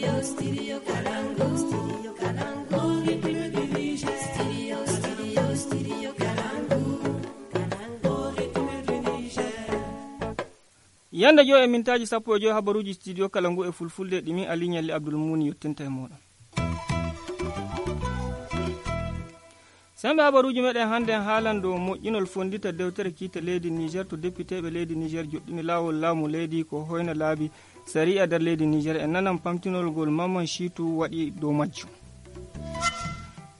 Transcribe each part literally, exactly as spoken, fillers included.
Studio, studio Kalangu. Studio Kalangu. Rhythm of the Niger. Studio, studio, studio Kalangu. Kalangu. Rhythm of the Niger. Yanda jo e mintaji sappo e jo habaruji studio Kalangu e fulfulde ɗimi Ali Nyalli Abdul Muni yottenta e moɗon. Sembe habaruji meɗen hande haalan dow moƴƴinol fondita dewtere kiite leydi Niger to députéɓe leydi Niger joɗɗini laawol laamu leydi ko hoyna laabi sariya nder leydi Niger en nanan pamtinol gol Maman Shitu waɗi dow majjum.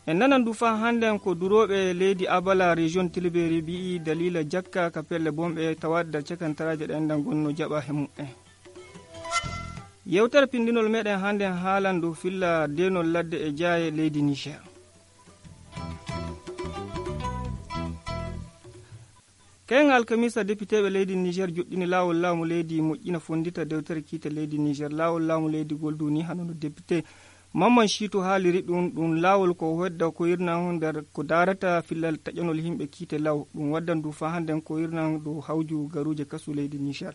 En nanan du fa handen ko duroɓe leydi Abala région Tilberi bi'i dalila jakka ka pelle bomɓe tawadda cekantaraje ɗen dan gonno jaɓa he mu'en. Yewtere pindinol meɗen handen haalan dow filla denol ladde e jaaye leydi Niger. Ken alkamisa députéɓe leydi Niger joɗɗini laawol laamu leydi moƴƴina fondita dewtere kiite leydi Niger laawol laamu leydi golduni hanono député Maman Shitu haaliri ɗum ɗum laawol ko wedda ko yirnan nder ko darata fillal taƴanol himɓe kiite law ɗum waddan du fa handen ko yirnan dow hawju garuje kasu leydi Niger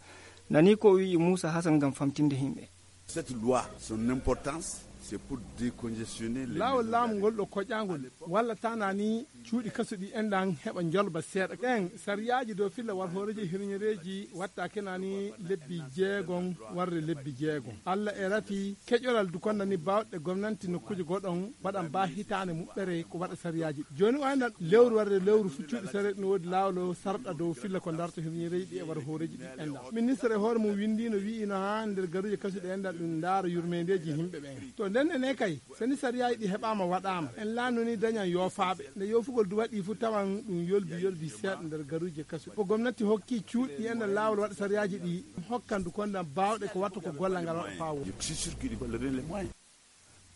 nani ko wi Moussa Hassan gam famtinde himɓe. Cette loi, son importance, c'est pour décongestionner les laawol laamu ngol ɗo koƴƴangol walla tanani cuuɗi kasuɗi enɗan heɓa jolba seeɗa ɗen sariyaji dow filla war hooreji hirñereji watta kenani lebbi jeegon warre lebbi jeegon allah e rafi keƴoral du kondani bawɗe gomnanti nokkuji goɗon waɗan ba hitane muɓɓere ko waɗa sariyaji joni wayna lewru warre lewru fu cuuɗi sareɗ no woodi laawol sarɗa dow filla ko darto hirñereji ɗi e war hooreji ɗi enɗan ministre e hoore mum windino wiino ha nder garuji kasuɗi enɗan ɗum daara yurmedeji yimɓe ɓen to nden ene kay soni sariyaji ɗi heɓama waɗama en laannoni dañan yofaɓe nde yofugol du waɗi fu tawan ɗum yolbi yolbi seeɗa nder garuje kasu ko gomnati hokki cuuɗi enda laawol waɗa sariyaji ɗi hokkandu kondan bawɗe ko watta ko gollal ngal waɗa fawo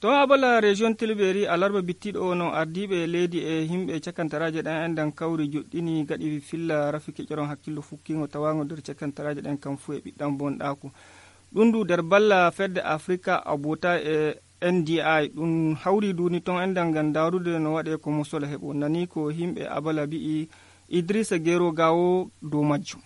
to abala région Tilberi alarba bittiɗo o no ardiɓe leydi e himɓe cakantaraje ɗen endan kawri joɗɗini gaɗi filla rafi keƴoron hakkillo fukkigo tawago nder cakantaraje ɗen kam fu e ɓiɗɗan bonɗaku ɗum du nder balla fedde africa abota e N D I ɗum hawri duni ton endan gam darude no waɗe ko musola heɓo nani ko himɓe abala bi'i Idrissa Gero Gawo dow majjum.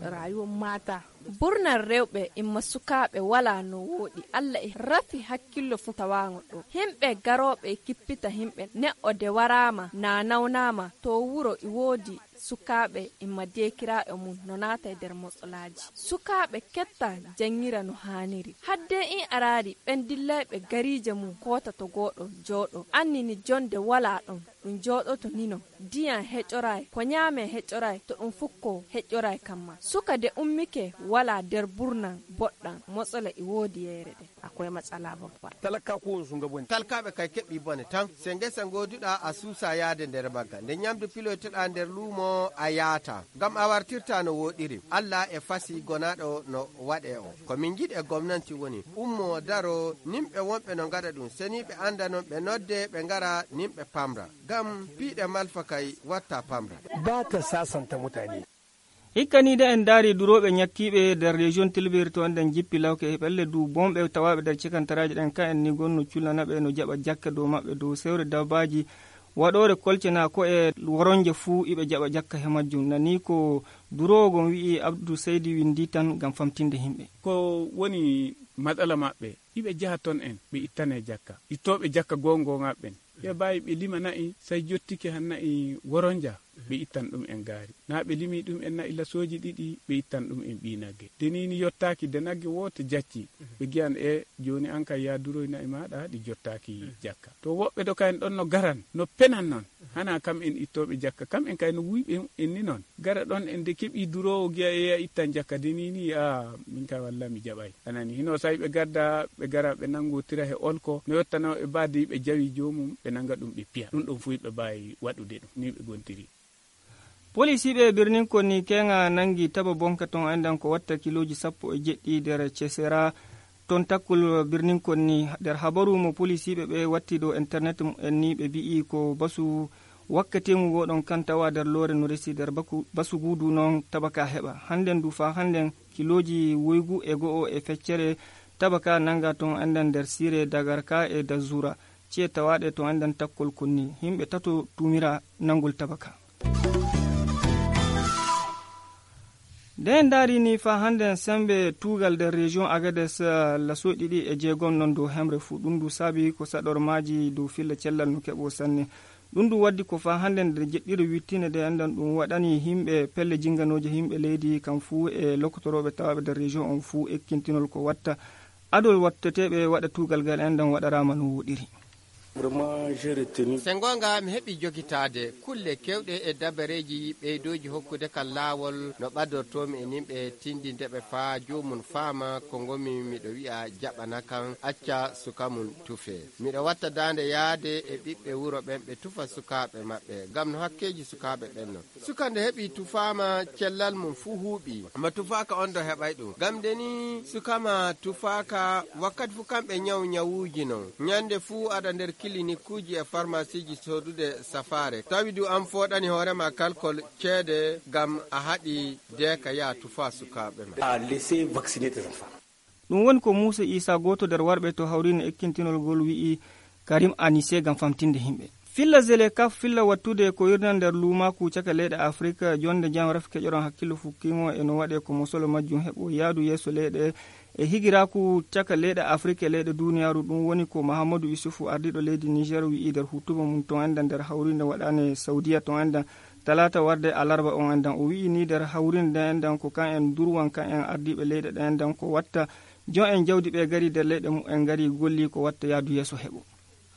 Rayuwar mata burnar rewɓe imma sukaɓe wala no woɗi allah e rafi hakkillo fu tawago ɗo himɓe garoɓe kippita himɓe neɗɗo de warama na nawnama to wuro i woodi sukaɓe imma dekiraɓe mum no naata e nder motsolaji sukaɓe ketta jangira no haniri hadde in arari ɓen dillayɓe garije mum kota to goɗo jooɗo annini jonde wala ɗon ɗum jooɗoto nino diyan heƴoray ko ñaame heƴoray to ɗum fukko heƴoray kamma suka de ummike wala nder burnan boɗɗan motsala i woodi yere de akwai matsala babba talaka ko sunga boni talkaɓe kay keɓɓi bone tan se ngesa goduɗa a suusa yaade nder magga nde ñamdu pilotoɗa nder luumo a yaata ngam a wartirta no woɗiri allah e fasi gonaɗo no waɗe o komin jiɗi e gomnanti woni ummo daro nimɓe wonɓe no gaɗa ɗum seni ɓe anda non ɓe nodde ɓe ngara nimɓe pamra ngam piiɗe malfa kay watta pamra ba ta sasanta mutane hikkanide en daari duroɓe ñakkiɓe nder région Tilberi to enden jippi lawke e ɓelle du bomɓe tawaɓe nder cekantaraji ɗen ka en ni gonno cullanaɓe no jaɓa jakka dow maɓɓe dow sewre dabbaji waɗore kolcena ko e woronje fuu iɓe jaɓa jakka he majjum nani ko durowogon wi'i Abdou Seydi windi tan gam famtinde himɓe ko woni matsala maɓɓe iɓe jaha ton en ɓe ittane jakka ittoɓe jakka gongoŋaɓɓen ɓe mbawi ɓe lima nayi say jottike han nayi woronja ɓe ittan ɗum en gaari na ɓe limi ɗum en nayi lasoji ɗiɗi ɓe ittan ɗum en ɓi nagge denini yottaki de nagge woto jacci ɓe giyan e joni an kay ya duroy nayi maɗa ɗi jottaki jakka to woɓɓe ɗo kayen ɗon no garan no penan noon hana kam en ittoɓe jakka kam en kay no wuyɓe en ni noon gara ɗon en de keeɓi durowo giya eya ittan jakka denini a min kay walla mi jaɓay anani hino sawi ɓe gadda ɓe gara ɓe nangotira he olko no yettano e badde ɓe jawi jomum ɓe nanga ɗum ɓe piya ɗum ɗon fu ɓe mbawi waɗude ɗum ni ɓe gontiri policiɓe birnin konni kenga nangi taba bonka ton endan ko watta kiloji sappo e jeɗɗi nder cesera ton takkul birnin konni nder habaru mo policiɓe ɓe watti dow internet en ni ɓe bi'i ko basu wakkati mu goɗon kan tawa nder loore no resi nder basu gudu non tabaka heɓa handen du fa handen kiloji woygu e go'o e feccere tabaka nanga ton endan nder sire dagarka e dazura cie tawaɗe to endan takkol konni himɓe tato tumira nangol tabaka nden darini fa hande sembe tugal nder région agades laso ɗiɗi e jeegom non dow hemre fuu ɗum du saabi ko saɗormaji dow filla cellal no keɓo sanne ɗum du waddi ko fa hande nder jeɗɗiri wittine de andan ɗum waɗani himɓe pelle jinganoje himɓe leydi kam fuu e lokkotoroɓe tawaɓe nder région on fuu ekkintinol ko watta adol watteteɓe waɗa tugal ngal endan waɗarama no woɗiri. se gonga mi heɓi jogitade kulle kewɗe e dabareji ɓeydoji hokkude kan laawol no ɓaddortomi e nimɓe tindindeɓe faa jomum faama ko ngomi miɗo wi'a jaɓana kan acca suka mum tufe miɗo watta dande yaade e ɓiɓɓe wuro ɓen ɓe tufa sukaɓe maɓɓe gam no hakkeji sukaɓe ɓenno suka nde heɓi tufama cellal mum fuu huuɓi ma tufaka on do heɓay ɗum gam de ni sukama tufaka wakkati fuu kamɓe nyaw nyawuji non nyande fuu aɗa nder kilinikuji e pharmacie ji sodude safare tawi du an foɗani hoorema kalkol ceede gam a haɗi deka ya tufa sukaɓe ma ɗum woni ko Moussa Issa goto nder warɓe to hawrino ekkintinol gol wi'i Karim Anissé gam famtinde himɓe filla zele kaf filla wattude ko yirna nder lumaku caka leyɗe afrique jonde jam raf keƴoron hakkillo fukkimo e no waɗe ko mosolo majjum heɓo yaadu yeeso leyɗe e higiraku caka leyɗe afrique e leyɗe duniyaru ɗum woni ko mahamadou isufu ardiɗo leydi niger wi'i nder hutuba mum ton enda nder hawrinde waɗane saudiya ton enda talata warde alarba on endan o wi'i ni nder hawrinde endan ko kan en durwan kan en ardiɓe leyɗe ɗe endan ko watta jon en jawdi ɓe gari nder leyɗe mum en gari golli ko watta yaadu yeeso heɓo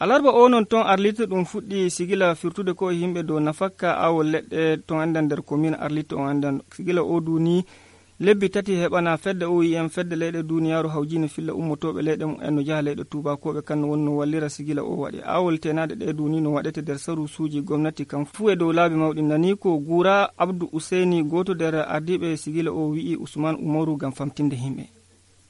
alarba o non ton arlite ɗum fuɗɗi sigila firtude ko yimɓe dow nafakka awol leɗɗe ton endan nder commune arlite on endan sigila o duni lebbi tati heɓana fedde o wi en fedde leyɗe duniyaru hawjino filla ummotoɓe leyɗe mum en no jaha leyɗe tubakoɓe kan woni no wallira sigila o waɗi awol tenade ɗe duni no waɗete nder saru suuji gomnati kam fuu e dow laabi mawɗi nani ko Goura Abdou Ousseini goto nder ardiɓe sigila o wi'i Ousmane Oumarou gam famtinde himɓe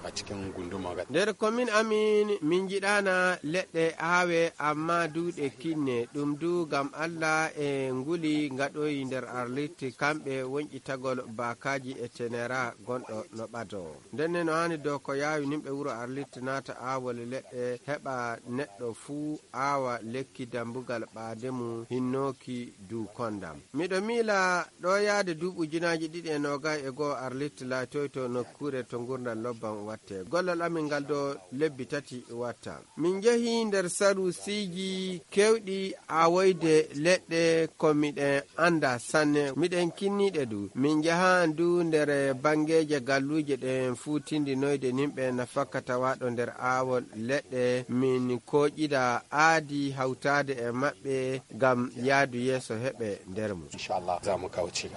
a cikin gunduma nder commune amin min jiɗana leɗɗe aawe amma duuɗe kinne ɗum du gam Allah e nguli gaɗoyi nder arlitti kamɓe wonƴitagol bakaji e tenera gonɗo no ɓado ndenne no hani dow ko yawi nimɓe wuro arlitti naata aawol leɗɗe heɓa neɗɗo fuu aawa lekki dambugal ɓaademu hinnoki du kondam miɗo miila ɗo yaade duuɓi ujunaji ɗiɗi e nogay e goo arlitti laatoy to nokkure to gurdal lobban watte gollal amin ngal do lebbi tati watta min jehi nder saru siji kewɗi awoyde leɗɗe ko miɗen anda sanne miɗen kinniɗe du min jahan du nder bangeje galluje ɗen fuu tindinoyde nimɓe nafakka tawaɗo nder awol leɗɗe min koƴƴida aadi hawtade e maɓɓe gam yaadu yeeso heɓe nder mum inchallah zamu kawci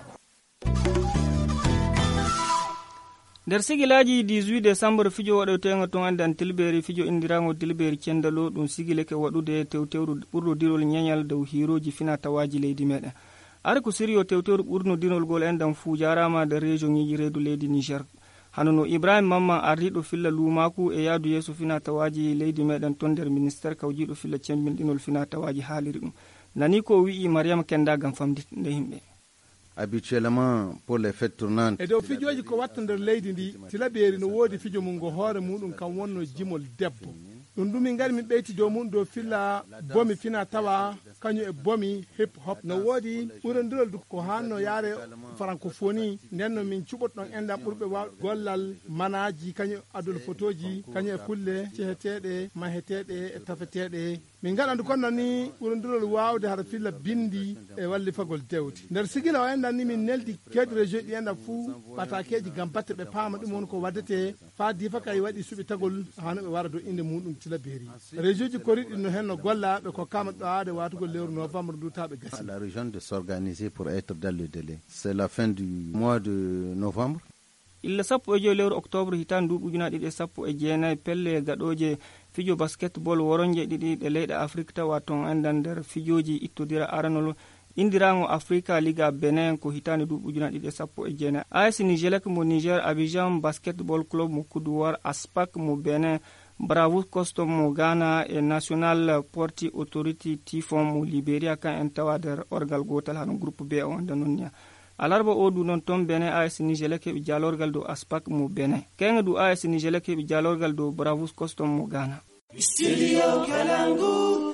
nder sigilaji dix-huit décembre fijo waɗotengo ton andan tilberi fijo indirago tilberi cendalo ɗum sigileke waɗude tewtewru ɓurnodirol ñeñal dow hiroji fina tawaji leydi meɗen ara ko sirio tewtewru ɓurnodirol gol endan fuu jarama nder région ŋiji reedu leydi niger hanono ibrahima mamman ardiɗo filla lumaku e yaadu yeeso fina tawaji leydi meɗen ton nder ministére kawjiɗo filla cembinɗinol fina tawaji haaliri ɗum nani ko wi'i mariama kenda gam famdinde himɓe habituellement pour les fêtes tournantes e dow fijoji ko watta nder leydi ndi tilaɓeeri no woodi fijo mum ngo hoore muɗum kam wonno jimol debbo ɗum ɗum min gari min ɓeyti dow mum dow filla bomi fina tawa kañum e bomi hip hop no woodi ɓurondirol ko hanno yaare francophonie nden no min cuɓotɗon enɗam ɓurɓe waw gollal manaji kañum adol photoji kañum e kulle ceheteɗe maheteɗe e tafeteɗe min gaɗandu kono ni ɓurondirol wawde haɗa filla bindi e wallifagol dewde nder sigila o enɗan ni min neldi kewɗe région ɗi enɗam fuu batakeji gam batte ɓe paama ɗum woni ko waddete fa difa kay waɗi suɓi tagol hano ɓe wara dow inde muɗum tilaberi région ji koriɗi no hen no golla ɓe ko kama ɗo aade watugol lewru novembre dutaɓe gasi la région de s'organiser pour être dans le délai c'est la fin du mois de novembre illa sappo e joyi lewru octobre hitande nduɓi ujunaɗe ɗiɗi e sappo e jeenayyi pelle gaɗoje fijo basketball woronje ɗiɗi ɗe leyɗe afrique tawa ton endan nder fijoji ittodira aranol indirago africa liga benin ko hitande duuɓi ujunaɗe ɗiɗi e sappo e jeenayyi as nigelek mo niger abidjan basketball club mo coudoir aspac mo benin bravos custom mo ghana e national porti authority tifon mo libéria kan en tawa nder orgal gotal hano groupe b o wonda nonniya alarba o du noon toon benin as nigelek heɓi jalorgal dow aspac mo benin kenga du as nigelek heɓi jalorgal dow bravos custom mo ghana Studio Kalangu.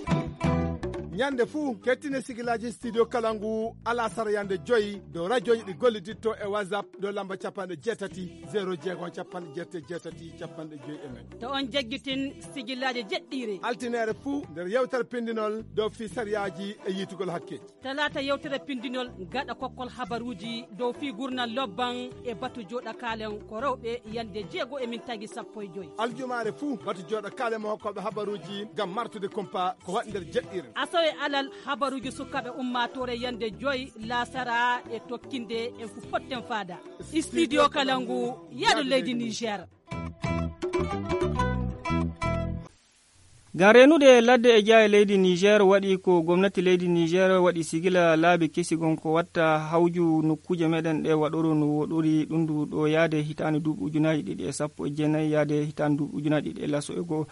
ñande fuu kettine sigilaji studio kalangu ala sara yande joyi dow radioji ɗi golliditto e whatsapp dow lamba capanɗe jeetati zéro jeegom capanɗe jeette jeetati capanɗe joyi e nayyi. to on jaggitin sigillaji jeɗɗiri altinere fuu nder yewtere pindinol dow fi sariyaji e yitugol hakke. talata yewtere pindinol gaɗa kokkol habaruji dow fi gurnal lobban e batu joɗa kalen ko rewɓe yande jeego e min tagi sappo e joyi. aljumare fuu batu joɗa kalen mo hokkoɓe habaruji gam martude kompa ko waɗi nder jeɗɗire. asawe alal habaruji sukaɓe ummatore yande joyi lasara e tokkinde en fu potten fada studio kalangu yaɗo leydi niger. gam renude ladde e jaa e leydi niger waɗi ko gomnati leydi niger waɗi sigila laabi kesigon ko watta hawju nokkuje meɗen ɗe waɗoro no woɗori ɗum ndu ɗo yaade hitande duuɓi ujunaji ɗiɗi e sappo e jeenayyi yaade hitande duuɓi ujunaji ɗiɗi e laso e goho.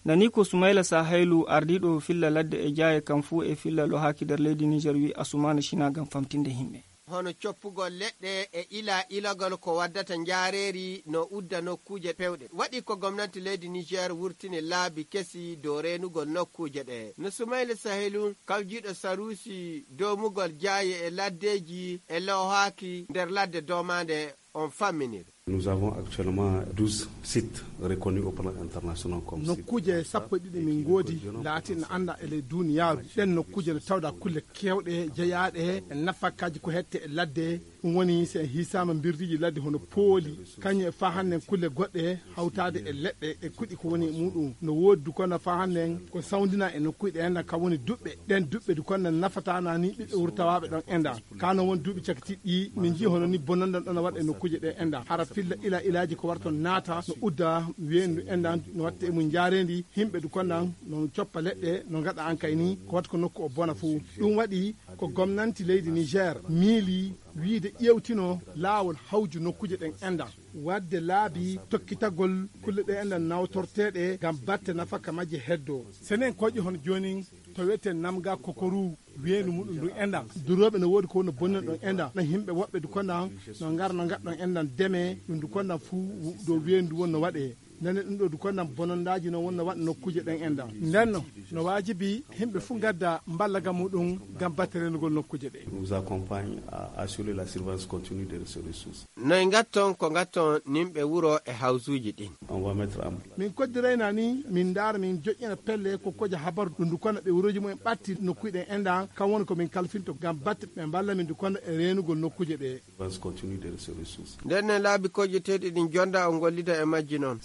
nani ko soumaila sahaylu ardiɗo filla ladde e jaaye kam fuu e filla lo haki nder leydi niger wi asumana china gam famtinde himɓe. hono coppugol leɗɗe e ila ilagol ko waddata jareeri no udda nokkuje pewɗe waɗi ko gomnati leydi niger wurtini laabi kesi dow renugol nokkuje ɗe no soumaila sahelu kawjiɗo sarusi domugol jaaye e laddeji e lowhaki nder ladde domande on famminir. Nous avons actuellement douze sites reconnus au plan international comme sites. nokkuje sappo e ɗiɗi min goodi laati no anda ele duniyaru ɗen nokkuje ne tawda kulle kewɗe jeeyaɗe e nafakkaji ko hette e ladde ɗum woni se hisama birdiji ladde hono pooli kañum e fa hannden kulle goɗɗe hawtade e leɗɗe e kuɗi ko woni muɗum no woodi du kono fa hannden ko sawdina e nokkuji ɗe ka woni duɓɓe ɗen duɓɓe du kono nafatana ni ɓiɓɓe wurtawaɓe ɗon enda kano won duuɓi cakitiɗɗi min jii hono ni bonanɗan ɗon waɗa e nokkuje ɗe enda hara filla ila ilaji ko warton naata no udda wendu endan no watta e mum jaarendi himɓe du konnan no coppa leɗɗe no gaɗa an kay ni ko watta ko nokku o bona fuu ɗum waɗi ko gomnanti leydi niger miili wiide ƴewtino laawol hawju nokkuje ɗen enda wadde laabi tokkitagol kulle ɗe endan nawtorteɗe gam batte nafaka majje heddo senen koƴƴi hono joni to wiyete namga kokoru weenu muɗum ɗum endan duroɓe no woodi ko no bonnan ɗon enda no yimɓe woɓɓe du konnan no gara no gaɗɗon endan deme ɗum du konnan fuu ɗo weendu won no waɗe nane ɗum ɗo du konnan bonondaji no wonna waɗa nokkuje ɗen enda ndenno no wajibi himɓe fuu gadda mballaga muɗum gam batte renugol nokkuje ɗe. Nous accompagne à assurer la surveillance continue de ces ressources. noy gatton ko gatton nimɓe wuro e hawsuji ɗin. On va mettre en min koddirayna ni min daara min joƴƴina pelle ko koja habaru ɗum du kono ɓe wuroji mumen ɓatti nokkuji ɗen enda kam woni komin kalfinto gam batte ɓe mballa min du kono e renugol nokkuje ɗe. surveillance continue de ces ressources. nden laabi kojjeteɗi ɗin jonda o gollida e majji noon.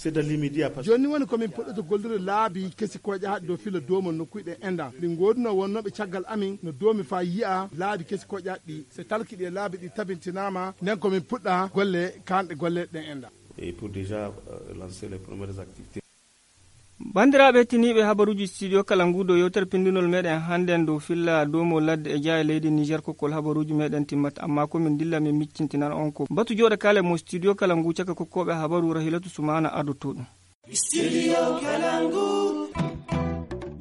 joni woni komin puɗɗoto gollude laabi kesi koje haɗi dow filo domon nokkuji ɗe enda ɗi goduno wonnoɓe caggal amin no domi fa yiya laabi kesi koje haɗɗi so talkiɗi e laabi ɗi tabintinama nden komin puɗɗa golle kanɗe golle ɗen enda. Et pour déjà euh, lancer les premières activités. bandiraɓe hettiniɓe habaruji studio kalangu dow yewtere pindinol meɗen hannden dow filla domo ladde e jaa e leydi niger kokkol habaruji meɗen timmata amma komin dilla min miccintinan on ko batu joɗa kale mo studio kalangu caka kokkoɓe habaru rahilatu sumana adoto ɗum studio kalangu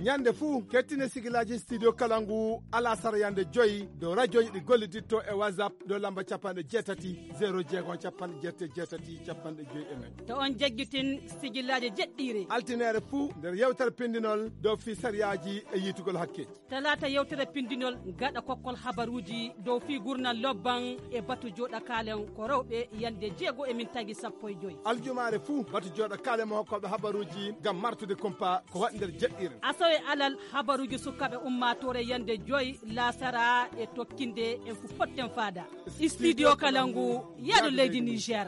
ñande fuu kettine sigilaji studio kalangu ala sara yande joyi dow radioji ɗi golliditto e whatsapp dow lamba capanɗe jeetati zéro jeegom capanɗe jeette jeetati capanɗe joyi e nayyi. to on jaggitin sigillaji jeɗɗiri altinere fuu nder yewtere pindinol dow fi sariyaji e yitugol hakke. talata yewtere pindinol gaɗa kokkol habaruji dow fi gurnal lobban e batu joɗa kalen ko rewɓe yande jeego e min tagi sappo e joyi. aljumare fuu batu joɗa kalen mo hokkoɓe habaruji gam martude kompa ko waɗi nder jeɗɗire. asawe alal habaruji sukaɓe ummatore yande joyi lasara e tokkinde en fu potten fada studio kalangu yaɗo leydi niger.